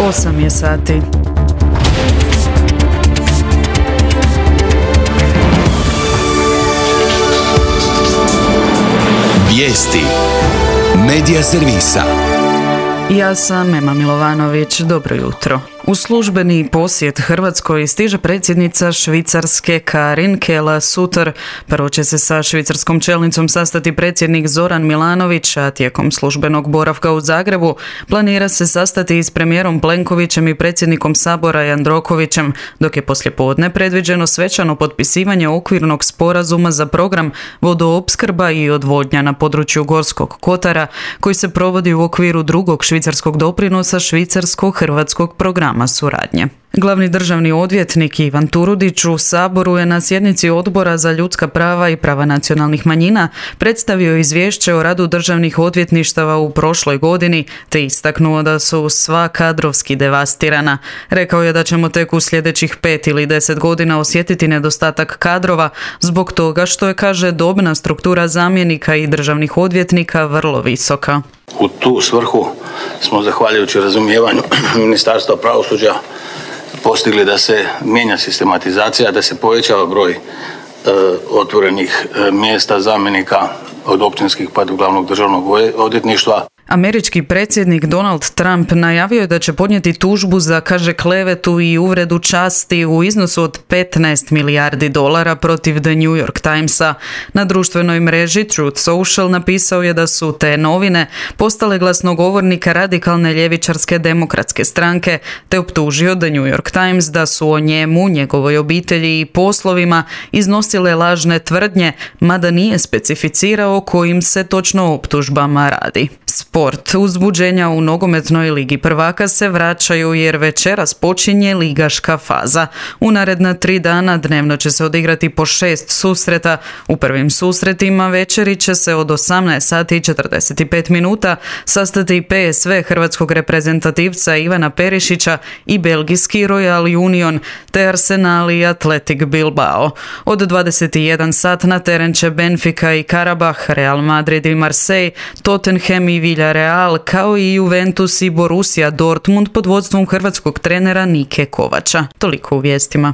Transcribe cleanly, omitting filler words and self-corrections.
8 je sati. Vijesti Medija servisa. Ja sam Ema Milovanović, dobro jutro. U službeni posjet Hrvatskoj stiže predsjednica Švicarske Karin Keller-Sutter. Prvo će se sa švicarskom čelnicom sastati predsjednik Zoran Milanović, a tijekom službenog boravka u Zagrebu planira se sastati i s premijerom Plenkovićem i predsjednikom Sabora Jandrokovićem, dok je poslijepodne predviđeno svečano potpisivanje okvirnog sporazuma za program vodoopskrba i odvodnja na području Gorskog kotara, koji se provodi u okviru drugog švicarskog doprinosa švicarsko-hrvatskog programa suradnje. Glavni državni odvjetnik Ivan Turudić u Saboru je na sjednici Odbora za ljudska prava i prava nacionalnih manjina predstavio izvješće o radu državnih odvjetništava u prošloj godini, te istaknuo da su sva kadrovski devastirana. Rekao je da ćemo tek u sljedećih 5 ili 10 godina osjetiti nedostatak kadrova zbog toga što je, kaže, dobna struktura zamjenika i državnih odvjetnika vrlo visoka. U tu svrhu smo, zahvaljujući razumijevanju Ministarstva pravosuđa, postigli da se mijenja sistematizacija, da se povećava broj otvorenih mjesta zamjenika od općinskih pa do glavnog državnog odvjetništva. Američki predsjednik Donald Trump najavio je da će podnijeti tužbu za, kaže, klevetu i uvredu časti u iznosu od $15 milijardi protiv The New York Timesa. Na društvenoj mreži Truth Social napisao je da su te novine postale glasnogovornika radikalne ljevičarske demokratske stranke, te optužio The New York Times da su o njemu, njegovoj obitelji i poslovima iznosile lažne tvrdnje, mada nije specificirao kojim se točno optužbama radi. Sport. Uzbuđenja u nogometnoj ligi prvaka se vraćaju jer večeras počinje ligaška faza. U naredna 3 dana dnevno će se odigrati po 6 susreta. U prvim susretima večeri će se od 18 sati i 45 minuta sastati PSV hrvatskog reprezentativca Ivana Perišića i belgijski Royal Union, te Arsenal i Athletic Bilbao. Od 21 sat na teren će Benfica i Karabah, Real Madrid i Marseille, Tottenham i Villarreal, kao i Juventus i Borussia Dortmund pod vodstvom hrvatskog trenera Nike Kovača. Toliko u vijestima.